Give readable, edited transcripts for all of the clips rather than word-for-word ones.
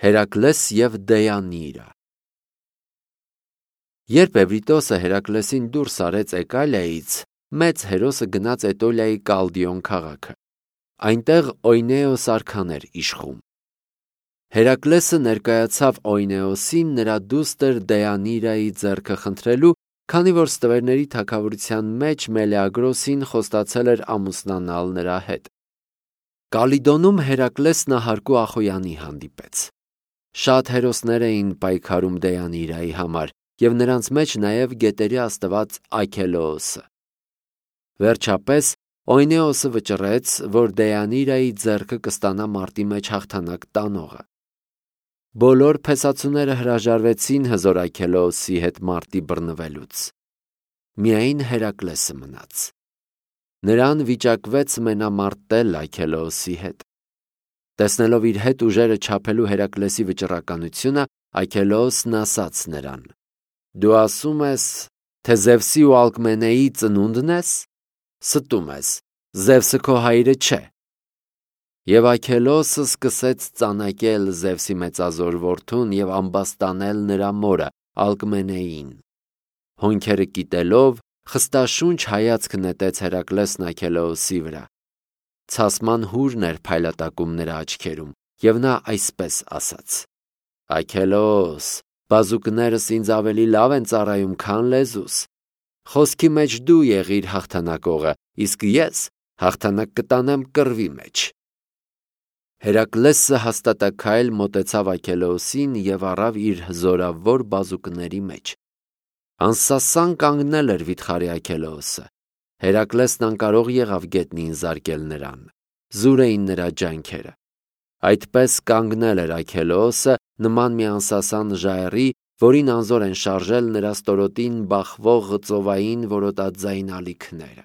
Հերակլես և Դեյանիրա։ Երբ Էվրիտոսը Հերակլեսին դուրս արեց Էկալիայից, մեծ հերոսը գնաց Էտոլիայի Կալդիոն քաղաքը։ Այնտեղ Օյնեոս արքան էր իշխում։ Հերակլեսը ներկայացավ Օյնեոսին նրա դուստր Դեյանիրայի ձեռքը խնդրելու, քանի որ ստվերների թագավորության մեջ Մելեագրոսին խոստացել էր ամուսնանալ նրա հետ։ Կալիդոնում Հերակլեսն ահարկու Ախոյանի հանդիպեց։ Շատ հերոսներ էին պայքարում Դեյանիրայի համար, և նրանց մեջ նաև գետերի աստված Աքելոոսը։ Վերջապես Օյնեոսը վճռեց, որ Դեյանիրայի ձեռքը կստանա մարտի մեջ հաղթանակ տանողը։ Բոլոր փեսացուները հրաժարվեցին հզոր Աքելոոսի հետ մարտի բռնվելուց։ Միայն Հերակլեսը մնաց։ Նրան վիճակվեց մենամարտել Աքելոոսի հետ։ Տեսնելով իր հետ ուժերը չափելու Հերակլեսի վճռականությունը, Աքելոոսն ասաց նրան. «Դու ասում ես, թե Զևսի ու Ալկմենեի ծնունդն ես, ստում ես, Զևսը քո հայրը չէ»։ Եվ Աքելոոսը սկսեց ծանակել Զևսի մեծազոր որդուն և ամբաստանել նրա մորը Ալկմենեին։ Հոնքերը կիտելով, խստաշունչ հայացք նետեց Հերակլեսն Աքելոոսի վրա։ Ցասման հուրն էր փայլատակում նրա աչքերում, և նա այսպես ասաց. «Աքելոոս, բազուկներս ինձ ավելի լավ են ծառայում, քան լեզուս։ Խոսքի մեջ դու եղիր հաղթանակողը, իսկ ես հաղթանակ կտանեմ կռվի մեջ»։ Հերակլեսը հաստատաքայլ մոտեցավ Աքելոոսին և առավ իր զորավոր բազուկների մեջ։ Անսասան կանգնել էր վիթխարի Աքելոոսը։ Հերակլեսն անկարող եղավ գետնին զարկել նրան։ Զուր էին նրա ջանքերը։ Այդպես կանգնել էր Աքելոոսը, նման մի անսասան ժայռի, որին անզոր են շարժել նրա ստորոտին բախվող ծովային որոտաձայն ալիքները։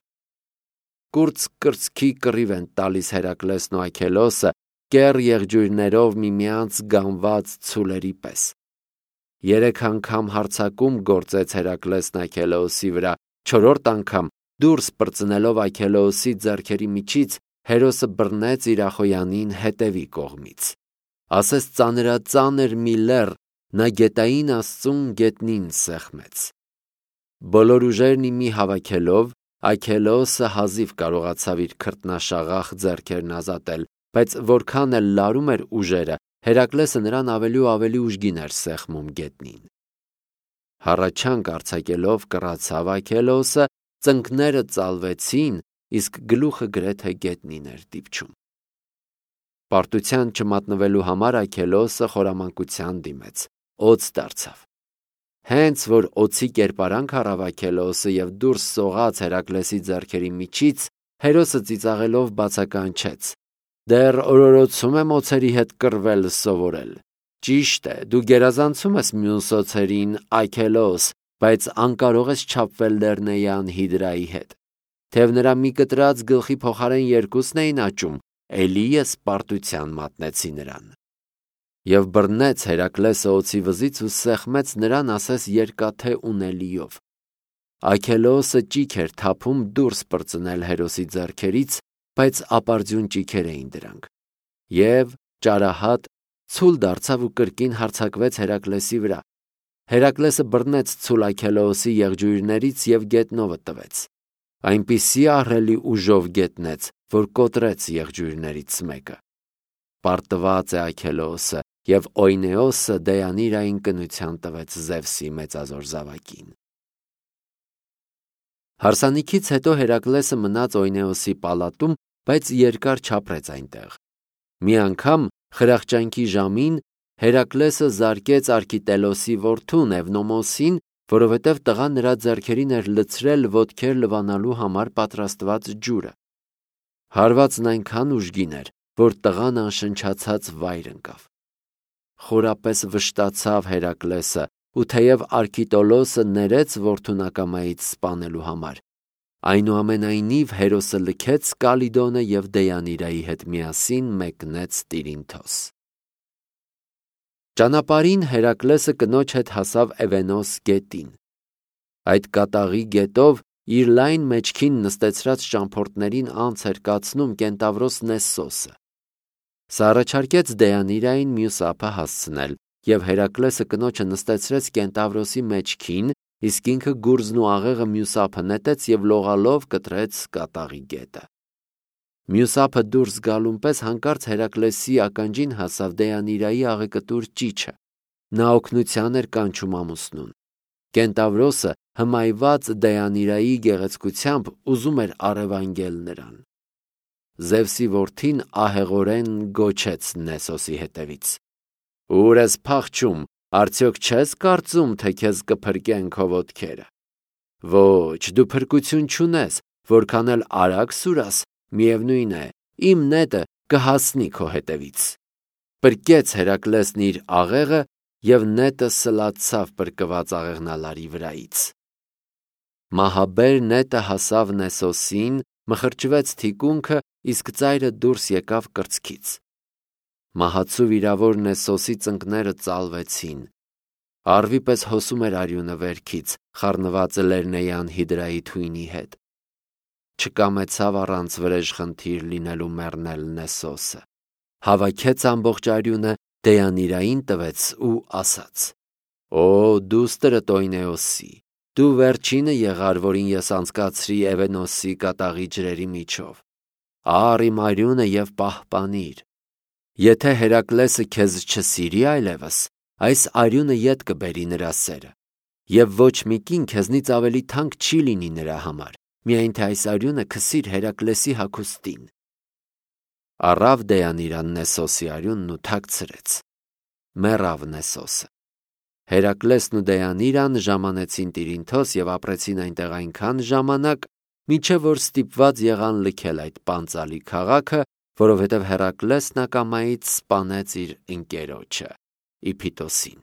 Կուրծ կրծքի կռիվ են տալիս Հերակլեսն ու Աքելոոսը, կեռ եղջյուրներով միմյանց գանված ցուլերի պես։ 3 անգամ հարձակում գործեց Հերակլեսն Աքելոոսի վրա, 4-րդ անգամ դուրս պրծնելով Աքելոոսի ձեռքերի միջից, հերոսը բռնեց իր Ախոյանին հետևի կողմից։ Ասես ծանրածանր մի լեռ, նա գետային աստծուն գետնին սեղմեց։ Բոլոր ուժերն ի մի հավաքելով, Աքելոոսը հազիվ կարողացավ իր քրտնաշաղախ ձեռքերն ազատել, բայց որքան էլ լարում էր ուժերը, Հերակլեսը նրան ավելի ու ավելի ուժգին էր սեղմում գետնին։ Հառաչանք արձակելով կռացավ Աքելոոսը, ծնկները ծալվեցին, իսկ գլուխը գրեթե գետնին էր դիպչում։ Պարտության չմատնվելու համար Աքելոոսը խորամանկության դիմեց, օձ դարձավ։ Հենց որ օձի կերպարանք առավ Աքելոոսը և դուրս սողաց Հերակլեսի ձեռքերի միջից, հերոսը ծիծաղելով բացականչեց. «Դեռ օրորոցում եմ օձերի հետ կռվել սովորել։ Ճիշտ է, դու գերազանցում ես մյուս օձերին, Աքելոոս, բայց անկարող ես չափվել Լեռնեյան Հիդրայի հետ։ Թեև նրա մի կտրած գլխի փոխարեն երկուսն էին աճում, էլի ես պարտության մատնեցի նրան»։ Եվ բռնեց Հերակլեսը օձի վզից ու սեղմեց նրան ասես երկաթե ունելիով։ Աքելոոսը ճիք էր թափում դուրս պրծնել հերոսի ձեռքերից, բայց ապարդյուն ճիքեր էին դրանք։ Եվ ճարահատ ցուլ դարձավ ու կրկին հարձակվեց Հերակլեսի վրա։ Հերակլեսը բռնեց ցուլ Աքելոոսի եղջյուրներից և գետնովը տվեց։ Այնպիսի ահռելի ուժով գետնեց, որ կոտրեց եղջյուրներից մեկը։ Պարտված է Աքելոոսը, և Օյնեոսը Դեյանիրային կնության տվեց Զևսի մեծազոր զավակին։ Հարսանիքից հետո Հերակլեսը մնաց Օյնեոսի պալատում, բայց երկար չապրեց այնտեղ։ Մի անգամ խրախճանքի ժամին Հերակլեսը զարկեց Արկիտելոսի որդուն Էվնոմոսին, որովհետև տղան նրա ձեռքերին էր լցրել ոտքեր լվանալու համար պատրաստված ջուրը։ Հարվածն այնքան ուժգին էր, որ տղան անշնչացած վայր ընկավ։ Խորապես վշտացավ Հերակլեսը, ու թեև Արկիտոլոսը ներեց որդուն ակամայից սպանելու համար, այնուամենայնիվ հերոսը լքեց Կալիդոնը և Դեյանիրայի հետ միասին մեկնեց Տիրինթոս։ Ճանապարհին Հերակլեսը կնոջ հետ հասավ Էվենոս գետին։ Այդ կատաղի գետով իր լայն մեջքին նստեցրած ճամփորդներին անց էր կացնում կենտավրոս Նեսսոսը։ Սա առաջարկեց Դեյանիրային մյուս ափը հասցնել, և Հերակլեսը կնոջը նստեցրեց կենտավրոսի մեջքին, իսկ ինքը գուրզն ու աղեղը մյուս ափը նետեց և լողալով կտրեց կատաղի գետը։ Մյուս ափը դուրս գալուն պես հանկարծ Հերակլեսի ականջին հասավ Դեյանիրայի աղեկտուր ճիչը։ Նա օգնության էր կանչում ամուսնուն։ Կենտավրոսը հմայված Դեյանիրայի գեղեցկությամբ ուզում էր առևանգել նրան։ Զևսի որդին ահեղորեն գոչեց Նեսոսի հետևից. «Ուր ես փախչում, արդյոք չես կարծում, թե քեզ կփրկեն քո ոտքերը։ Ոչ, դու փրկություն չունես, որքան էլ արագ սուրաս, միևնույն է, իմ նետը կհասնի քո հետևից»։ Պրկեց Հերակլեսն իր աղեղը, և նետը սլացավ պրկված աղեղնալարի վրայից։ Մահաբեր նետը հասավ Նեսոսին, մխրճվեց թիկունքը, իսկ ծայրը դուրս եկավ կրծքից։ Մահացու վիրավոր Նեսոսի ծնկները ծալվեցին։ Առվի պես հոսում էր արյունը վերքից, խառնված Լեռնեյան հիդրայի թույնի հետ։ Չկամեցավ առանց վրեժխնդիր լինելու մեռնել Նեսոսը։ Հավաքեց ամբողջ արյունը, Դեյանիրային տվեց ու ասաց. «Օ դուստր Տոյնեոսի, դու վերջինը եղար, որին ես անցկացրի Էվենոսի կատաղի ջրերի միջով։ Առ իմ արյունը և պահպանիր։ Եթե Հերակլեսը քեզ չսիրի այլևս, այս արյունը ետ կբերի նրա սերը, և ոչ մի կին քեզնից ավելի թանկ չի լինի նրա համար, միայն թե այս արյունը քսիր Հերակլեսի հագուստին»։ Առավ Դեյանիրան Նեսոսի արյունն ու թաքցրեց։ Մեռավ Նեսոսը։ Հերակլեսն ու Դեյանիրան ժամանեցին Տիրինթոս և ապրեցին այնտեղ այնքան ժամանակ, մինչև որ ստիպված եղան լքել այդ պանծալի քաղաքը, որովհետև Հերակլեսն ակամայից սպանեց իր ընկերոջը՝ Իփիտոսին։